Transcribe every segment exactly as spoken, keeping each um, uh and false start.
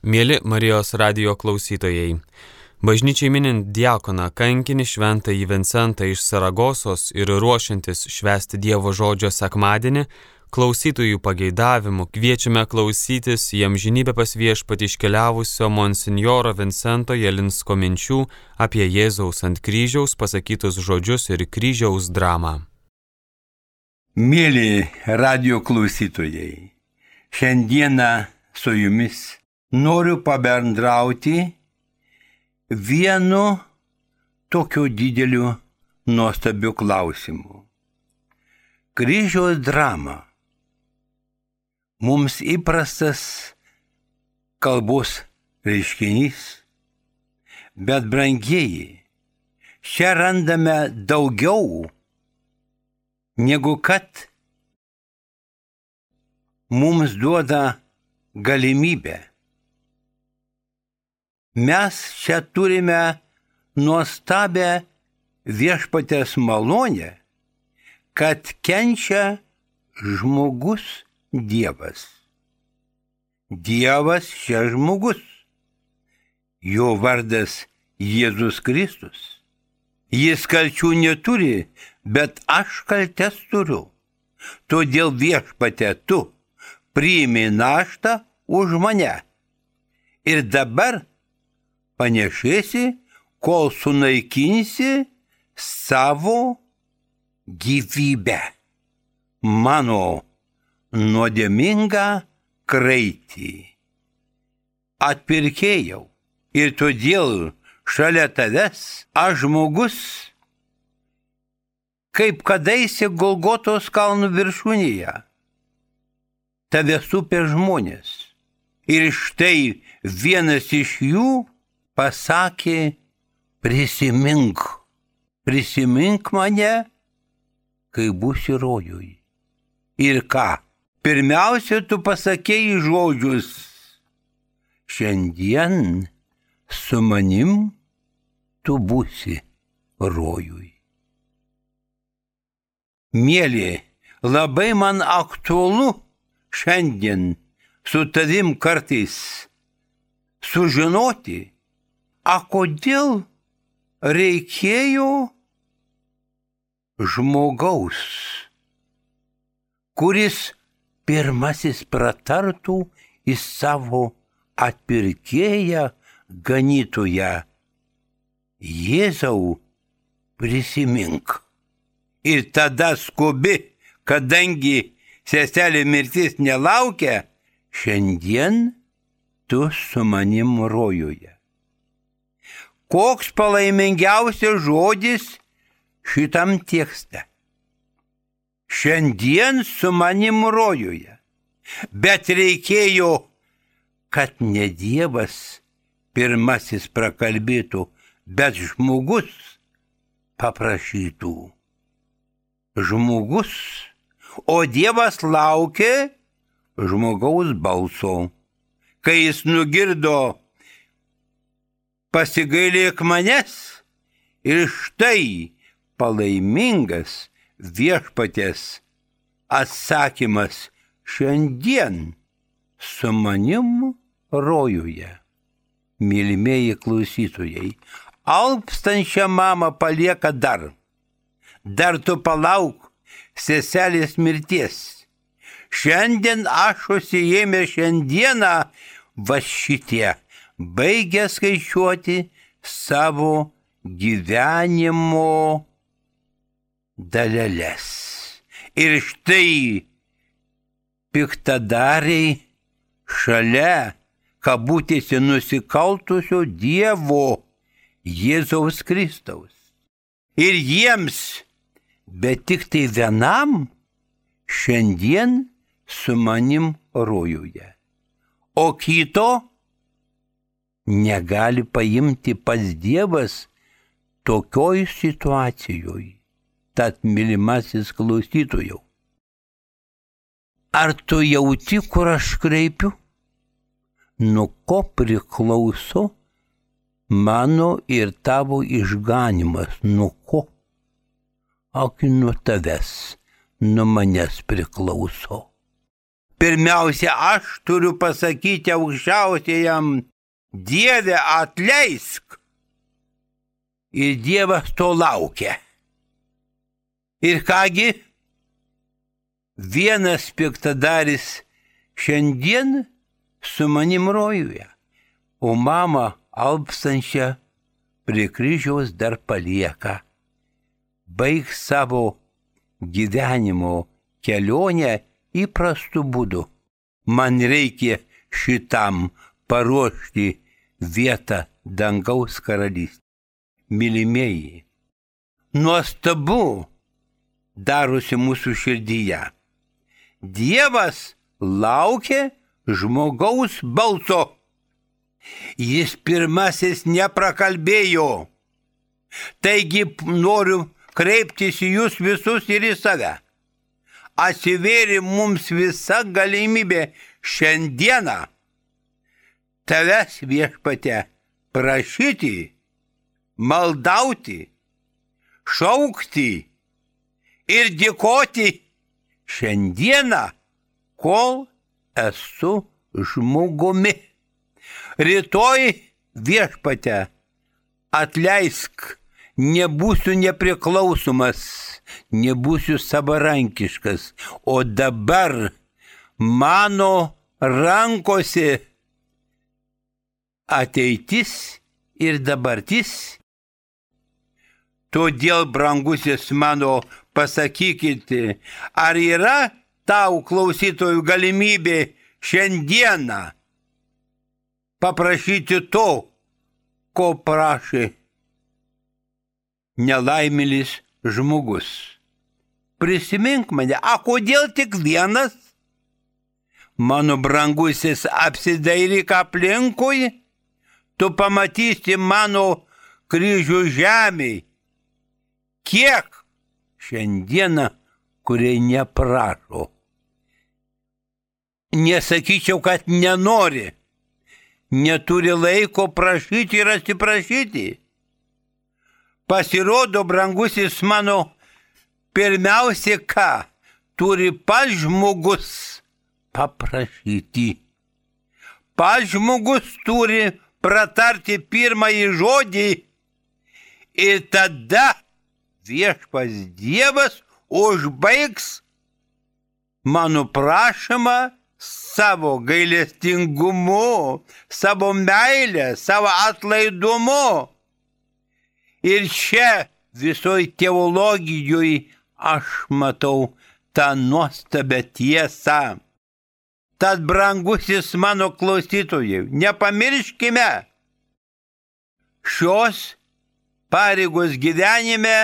Mieli Marijos radijo klausytojai, bažnyčiai minint diakoną kankinį šventąjį Vincentą iš Saragosos ir ruošiantis švęsti Dievo žodžio sekmadienį, klausytojų pageidavimų kviečiame klausytis į amžinybę pas viešpatį iškeliavusio monsinjoro Vincento Jelinsko minčių apie Jėzaus ant kryžiaus pasakytus žodžius ir kryžiaus dramą. Mėly radijo klausytojai, šiandieną su jumis noriu pabendrauti vienu tokiu dideliu nuostabiu klausimu. Kryžiaus drama. Mums įprastas kalbos reiškinys, bet brangieji, čia randame daugiau negu kad mums duoda galimybę. Mes čia turime nuostabią viešpaties malonę, kad kenčia žmogus Dievas. Dievas čia žmogus. Jo vardas Jėzus Kristus. Jis kalčių neturi, bet aš kaltes turiu. Todėl viešpatie tu priimi naštą už mane. Ir dabar panešėsi, kol sunaikinsi savo gyvybę, mano nuodėmingą kraitį. Atpirkėjau, ir todėl šalia tavęs aš žmogus, kaip kadaise Golgotos kalnų viršūnėje. Tave supė žmonės. Ir štai vienas iš jų pasakė, prisimink, prisimink mane, kai būsi rojui. Ir ką? Pirmiausia, tu pasakėjai žodžius, šiandien su manim tu būsi rojui. Mėly, labai man aktualu šiandien su tavim kartais sužinoti, a kodėl reikėjo žmogaus, kuris pirmasis pratartų į savo atpirkėją ganytoją. Jėzau, prisimink. Ir tada skubi, kadangi seselė mirtis nelaukia, šiandien tu su manim rojuje. Koks palaimingiausias žodis šitam tekste. Šiandien su manim rojuje. Bet reikėjo, kad ne Dievas pirmasis prakalbėtų, bet žmogus paprašytų. Žmogus, o Dievas laukė žmogaus balso. Kai jis nugirdo, pasigailėk manęs, ir štai palaimingas viešpaties atsakymas, šiandien su manim rojuje. Mylimieji klausytojai, alpstančią mamą palieka dar. Dar tu palauk seselės mirties. Šiandien aš užsiėmė šiandieną va šitie, baigė skaičiuoti savo gyvenimo daleles. Ir štai piktadariai šalia kabutėse nusikaltusio Dievo Jėzaus Kristaus. Ir jiems, bet tik tai vienam, šiandien su manim rojuje. O kito negali paimti pats Dievas tokioj situacijoje. Tad, mylimasis klausytojau, ar tu jauti, kur aš kreipiu? Nuo ko priklauso mano ir tavo išganimas? Nuo ko? Ak, nuo tavęs, nuo manęs priklauso. Pirmiausia, aš turiu pasakyti aukščiausiajam, Dieve, atleisk. Ir Dievas to laukia. Ir kągi, vienas piktadaris šiandien su manim rojuje, o mama alpstančią prie kryžiaus dar palieka. Baig savo gyvenimo kelionę įprastu būdu. Man reikia šitam paruošti vietą dangaus karalystėje. Mylimieji, nuostabu darosi mūsų širdyje. Dievas laukia žmogaus balso. Jis pirmasis neprakalbėjo. Taigi noriu kreiptis į jūs visus ir į save. Atsivėrė mums visa galimybė šiandieną tavęs, Viešpatie, prašyti, maldauti, šaukti ir dėkoti šiandieną, kol esu žmogumi. Rytoj, Viešpatie, atleisk, nebūsiu nepriklausomas, nebūsiu savarankiškas, o dabar mano rankose ateitis ir dabartis. Todėl, brangusis mano, pasakykite, ar yra tau, klausytojų, galimybė šiandieną paprašyti to, ko prašė nelaimėlis žmogus. Prisimink mane, a kodėl tik vienas? Mano brangusis, apsidairyk aplinkui, tu pamatysi mano kryžių žemėj. Kiek šiandieną, kurie neprašo. Nesakyčiau, kad nenori, neturi laiko prašyti ir atsiprašyti. Pasirodo, brangusis mano, pirmiausia, ką turi pats žmogus paprašyti. Pats žmogus turi pratarti pirmąjį žodį ir tada Viešpas Dievas užbaigs mano prašymą savo gailestingumu, savo meilę, savo atlaidumu. Ir čia visoj teologijoje aš matau tą nuostabę tiesą. Tad, brangusis mano klausytojai, nepamirškime šios pareigos gyvenime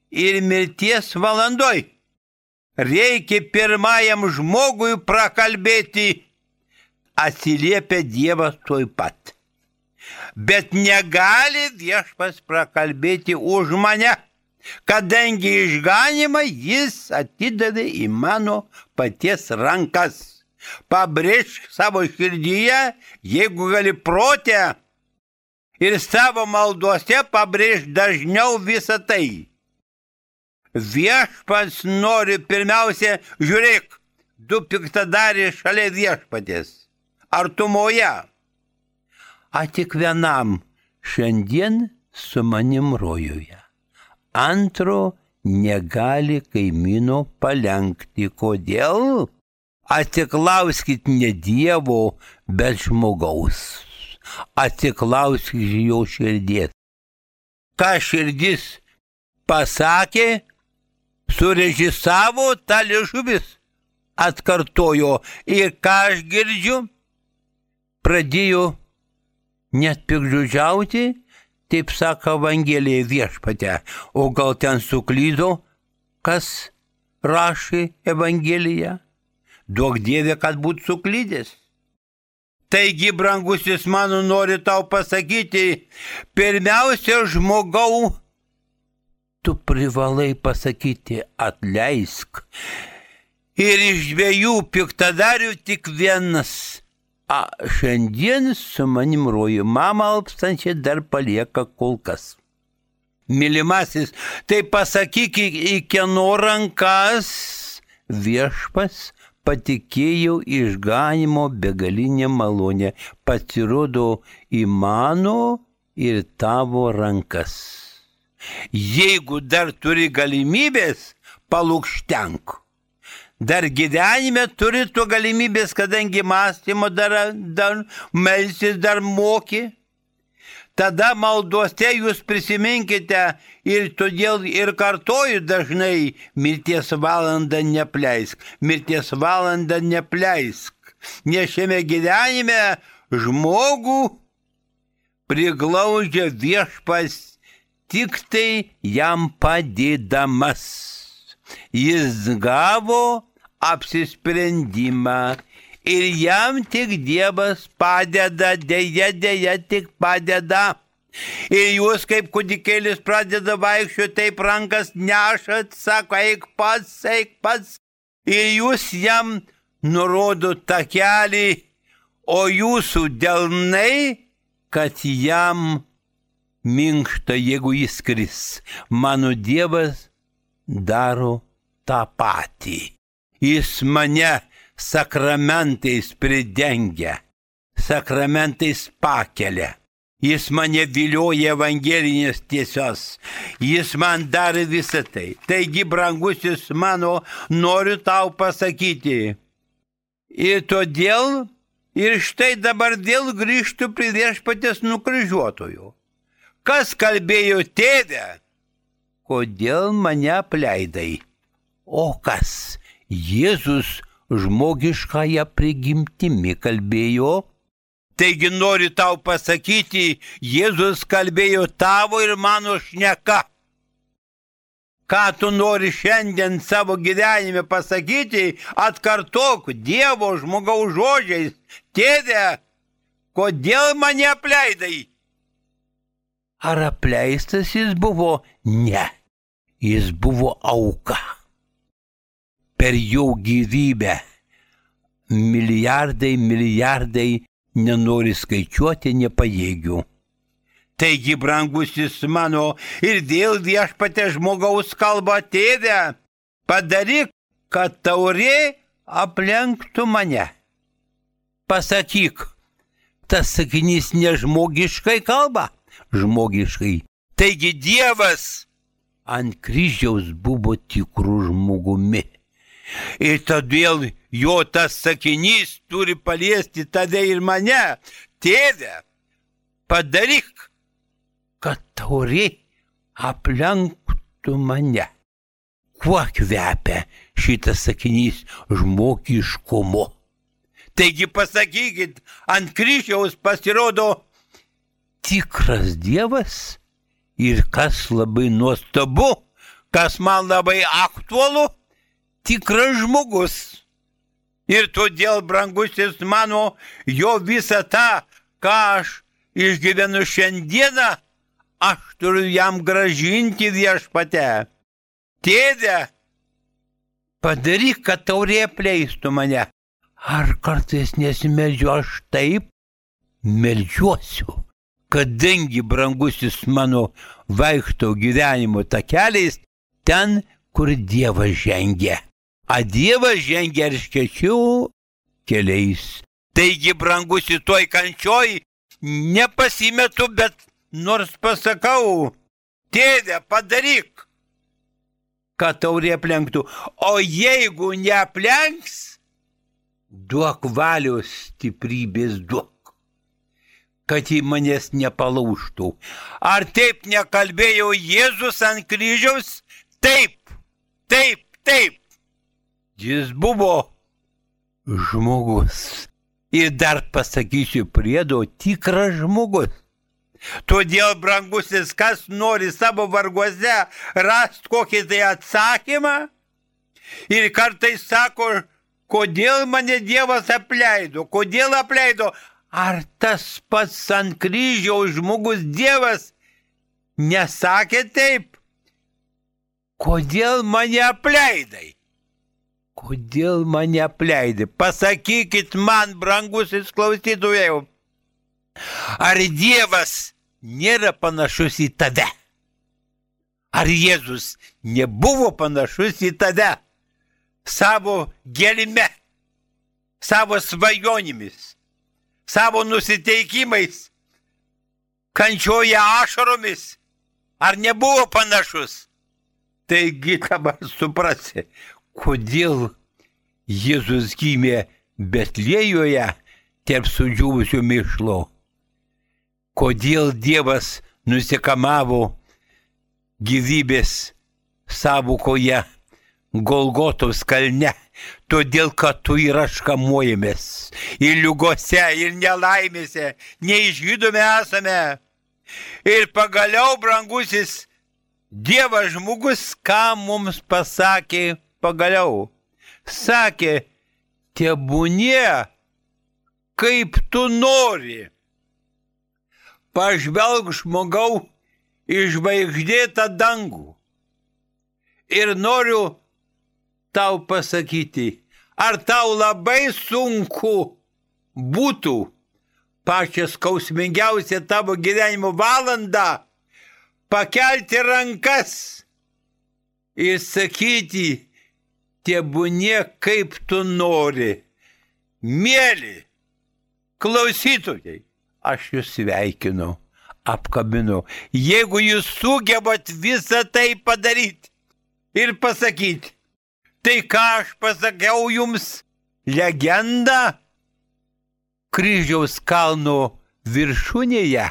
ir mirties valandoj. Reikia pirmajam žmogui prakalbėti, atsiliepia Dievas tuoj pat. Bet negali Viešpas prakalbėti už mane, kadangi išganymą jis atidavė į mano paties rankas. Pabrėžk savo širdyje, jeigu gali protę, ir savo maldose pabrėžk dažniau visą tai. Viešpats nori pirmiausia, žiūrėk, du piktadariai šalia Viešpatės, artumoje. A tik vienam šiandien su manim rojuje. Antro negali kaimyno palenkti. Kodėl? Atsiklauskit ne Dievo, bet žmogaus. Atsiklauskit jo širdies. Ką širdis pasakė, surežisavo, tą liežuvis atkartojo. Ir ką aš girdžiu, pradėjo net piktžodžiauti, taip sako Evangelija Viešpate. O gal ten suklydo, kas rašė Evangeliją? Duok Dieve, kad būtų suklydęs. Taigi, brangusis mano, nori tau pasakyti, pirmiausia, žmogau, tu privalai pasakyti atleisk. Ir iš dviejų piktadarių tik vienas. A, šiandien su manim roju, mama alpstančią dar palieka kol kas. Mylimasis, tai pasakyk, į kieno rankas Viešpas patikėjau išganimo begalinę malonę, pasirodo į mano ir tavo rankas. Jeigu dar turi galimybės, palūkštenk. Dar gyvenime turi tu galimybės, kadangi mąstymo dar, dar melsis, dar moki. Tada maldose jūs prisiminkite ir todėl ir kartoju dažnai, mirties valandą nepleisk, mirties valandą nepleisk. Nes šiame gyvenime žmogų priglaudžia viešpas tik tai jam padėdamas. Jis gavo apsisprendimą ir jam tik Dievas padeda, dėja, dėja, tik padeda. Ir jūs kaip kūdikėlis pradeda vaikščioti, taip rankas nešat, sako, eik pats, eik pats. Ir jūs jam nurodot tą kelią, o jūsų delnai, kad jam minkšta, jeigu jis kris. Mano Dievas daro tą patį. Jis mane sakramentais pridengia, sakramentais pakelia. Jis mane vilioja evangelinės tiesos. Jis man darė visą tai. Taigi, brangusis mano, noriu tau pasakyti. Ir todėl, ir štai dabar vėl grįžtu prie viešpaties nukryžiuotojų. Kas kalbėjo tėve? Kodėl mane apleidai? O kas? Jėzus žmogiškąją prigimtimi kalbėjo. Taigi noriu tau pasakyti, Jėzus kalbėjo tavo ir mano šneka. Ką tu nori šiandien savo gyvenime pasakyti, atkartok Dievo žmogaus žodžiais. Tėve, kodėl mane apleidai? Ar apleistas jis buvo? Ne, jis buvo auka. Per jo gyvybę milijardai, milijardai, nenori skaičiuoti, nepajėgių. Taigi, brangusis mano, ir dėl viešpatė žmogaus kalba, tėve, padaryk, kad taurė aplenktų mane. Pasakyk, tas sakinys nežmogiškai kalba? Žmogiškai. Taigi Dievas ant kryžiaus buvo tikrų žmogumi. Ir todėl jo tas sakinys turi paliesti tave ir mane. Tėve, padaryk, kad taurė aplenktų mane. Kuo kvepia šitas sakinys? Žmogiškumu. Taigi pasakykit, ant kryžiaus pasirodo tikras Dievas ir kas labai nuostabu, kas man labai aktualu, tikras žmogus. Ir todėl, brangusis mano, jo visą tą, ką aš išgyvenu šiandieną, aš turiu jam gražinti viešpate. Tėve, padaryk, kad taurė apleistų mane. Ar kartais nesimeldžiu? Aš taip meldžiuosiu. Kadangi, brangusis mano, vaikštau gyvenimo takeliais ten, kur Dievas žengia. A Dievas žengia erškėčių keliais. Taigi, brangusi, toj kančioj nepasimetu, bet nors pasakau, tėve, padaryk, kad taurė aplenktų. O jeigu neaplenks, duok valios stiprybės, duok, kad į manęs nepalaužtų. Ar taip nekalbėjo Jėzus ant kryžiaus? Taip, taip, taip. Jis buvo žmogus. Ir dar pasakysiu priedo, tikras žmogus. Todėl, brangusis, kas nori savo varguose rasti kokį tai atsakymą ir kartais sako, kodėl mane Dievas apleido, kodėl apleido. Ar tas pats ant kryžiaus žmogus Dievas nesakė taip? Kodėl mane apleidai? Kodėl mane apleidai? Pasakykit man, brangusis klausytojai, ar Dievas nėra panašus į tave? Ar Jėzus nebuvo panašus į tave savo gelme, savo svajonėmis, savo nusiteikimais, kančioje ašaromis. Ar nebuvo panašus? Taigi dabar suprasi, kodėl Jėzus gimė Betlėjoje tarp sudžiūvusio mėšlo. Kodėl Dievas nusikamavo gyvybės sąvokoje Golgotos kalne. Todėl, kad tu ir aš kamuojamės. Ir ligose, ir nelaimėse, neišgydomi esame. Ir pagaliau, brangusis, Dievas žmogus, ką mums pasakė pagaliau? Sakė, tebūnie, kaip tu nori. Pažvelk, žmogau, į žvaigždėtą dangų. Ir noriu tau pasakyti, ar tau labai sunku būtų pačią skausmingiausią tavo gyvenimo valandą pakelti rankas ir sakyti, tebūnie kaip tu nori. Mėly klausytojai, aš jūs sveikinu, apkabinu. Jeigu jūs sugebat visą tai padaryti ir pasakyti, tai ką aš pasakiau jums, legenda kryžiaus kalno viršūnėje,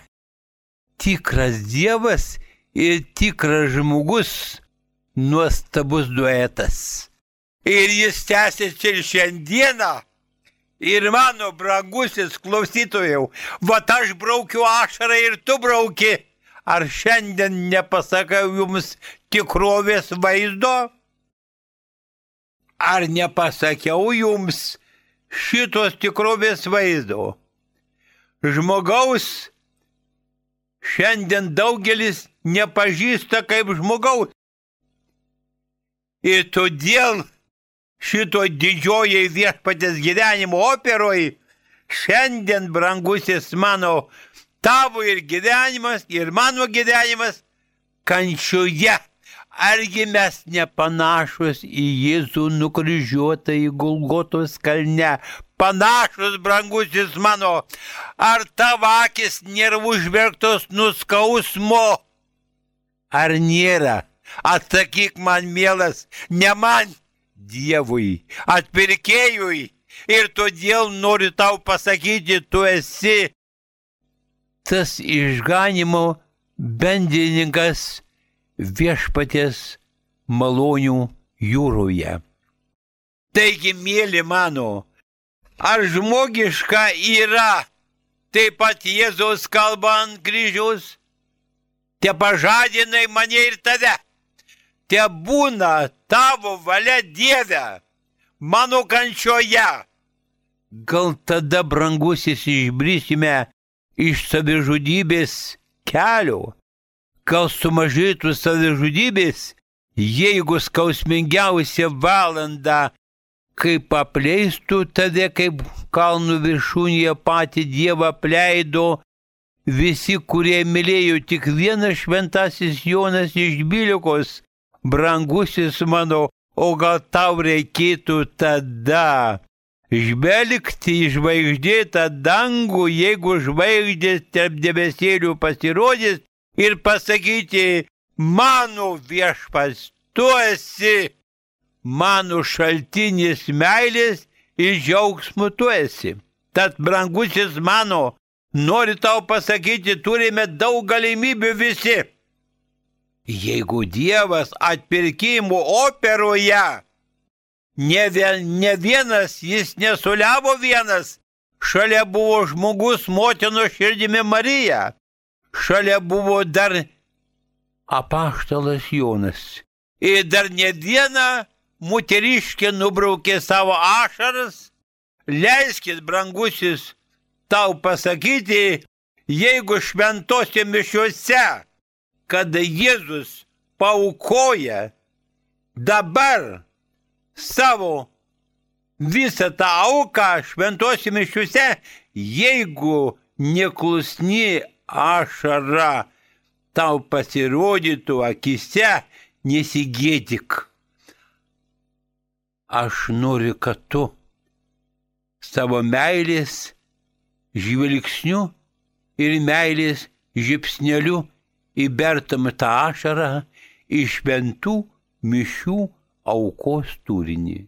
tikras Dievas ir tikras žmogus, nuostabus duetas. Ir jis tęsiasi ir šiandieną. Ir mano brangusis klausytojau, vat aš braukiu ašarą ir tu brauki. Ar šiandien nepasakau jums tikrovės vaizdo? Ar nepasakiau jums šitos tikrovės vaizdo? Žmogaus šiandien daugelis nepažįsta kaip žmogaus. Ir todėl šito didžiojai viešpatės gyvenimo operoj šiandien, brangusis mano, tavo ir gyvenimas, ir mano gyvenimas kančioje. Argi mes nepanašus į Jėzų nukryžiuotą į Golgotos kalne? Panašus, brangusis mano, ar tavo akis nėra užverktos nuskausmo? Ar nėra? Atsakyk man, mielas, ne man, Dievui, atpirkėjui. Ir todėl noriu tau pasakyti, tu esi tas išganimo bendrininkas viešpaties malonių jūroje. Taigi, mėly mano, ar žmogiška yra taip pat Jėzaus kalba ant kryžiaus? Te pažadinai mane ir tave. Te būna tavo valia, Dieve, mano kančioje. Gal tada, brangusis, išbrisime iš savižudybės kelio? Gal sumažėtų savižudybės, jeigu skausmingiausia valanda, kaip apleistų tave, kaip kalnų viršūnėje patį Dievą apleido visi, kurie mylėjo tik vienas šventasis Jonas iš Bilikos. Brangusis mano, o gal tau reikėtų tada žvelgti į žvaigždėtą dangų, jeigu žvaigždės tarp debesėlių pasirodys, ir pasakyti, mano viešpats, tu esi mano šaltinis meilės ir džiaugsmo tu esi. Tad, brangusis mano, noriu tau pasakyti, turime daug galimybių visi. Jeigu Dievas atpirkimo operoje, ne, vien, ne vienas, jis nesuliavo vienas, šalia buvo žmogus motino širdimi Marija, šalia buvo dar apaštalas Jonas. Ir dar ne viena moteriškė nubraukė savo ašaras. Leiskit, brangusis, tau pasakyti, jeigu šventose mišiuose, kada Jėzus paaukoja dabar savo visą tą auką šventose mišiuose, jeigu neklusni ašara tau pasirodytų akise, nesigėdik. Aš noriu, kad tu savo meilės žvilgsniu ir meilės žipsneliu įbertam tą ašarą iš šventų mišių aukos turinį.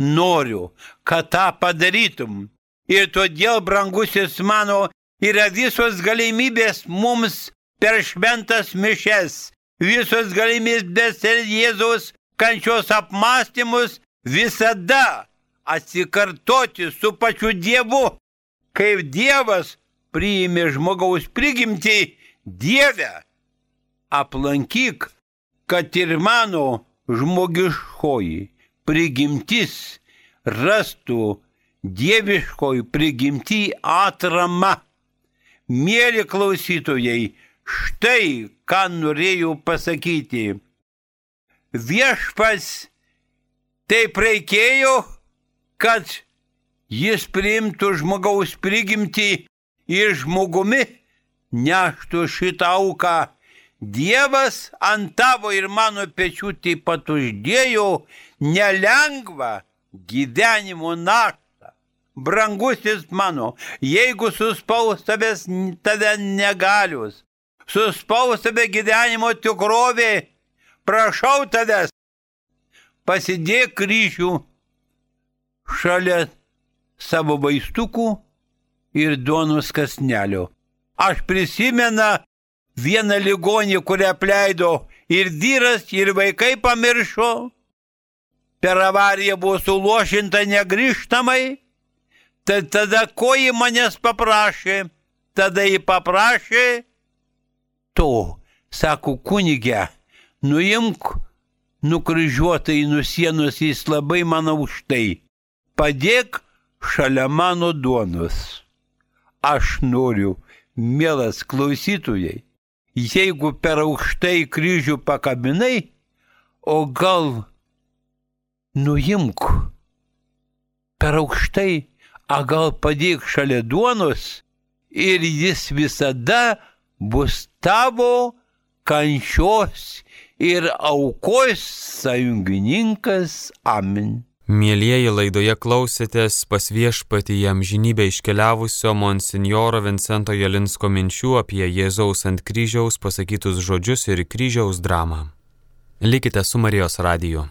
Noriu, kad tą padarytum. Ir todėl, brangusis mano, yra visos galimybės mums per šventas mišes, visos galimybės per Jėzaus kančios apmąstymus visada atsikartoti su pačiu Dievu. Kaip Dievas priėmė žmogaus prigimtį, Dieve, aplankyk, kad ir mano žmogiškoji prigimtis rastų dieviškoji prigimtį atramą. Mėly klausytojai, štai ką norėjau pasakyti. Viešpats taip reikėjo, kad jis priimtų žmogaus prigimtį ir žmogumi neštų šitą auką. Dievas ant tavo ir mano pečių taip pat uždėjo nelengvą gyvenimo naštą. Brangusis mano, jeigu suspaus tavęs tave negalius, suspaus tave gyvenimo tikrovė, prašau tavęs, pasidėk kryžių šalia savo vaistukų ir duonos kąsnelio. Aš prisimenu vieną ligonį, kurią apleido ir vyras, ir vaikai pamiršo. Per avariją buvo suluošinta negrįžtamai. Tai tada ko ji manęs paprašė? Tada ji paprašė to, sako, kunige, nuimk nukryžiuotai nuo sienos, jis labai man aukštai. Padėk šalia mano duonos. Aš noriu, mielas klausytojai, jeigu per aukštai kryžių pakabinai, o gal nuimk per aukštai, a gal padėk šalia duonos ir jis visada bus tavo kančios ir aukos sąjungininkas. Amen. Mielieji, laidoje klausėtės pas Viešpatį į amžinybę iškeliavusio monsinjoro Vincento Jalinsko minčių apie Jėzaus ant kryžiaus pasakytus žodžius ir kryžiaus dramą. Likite su Marijos radiju.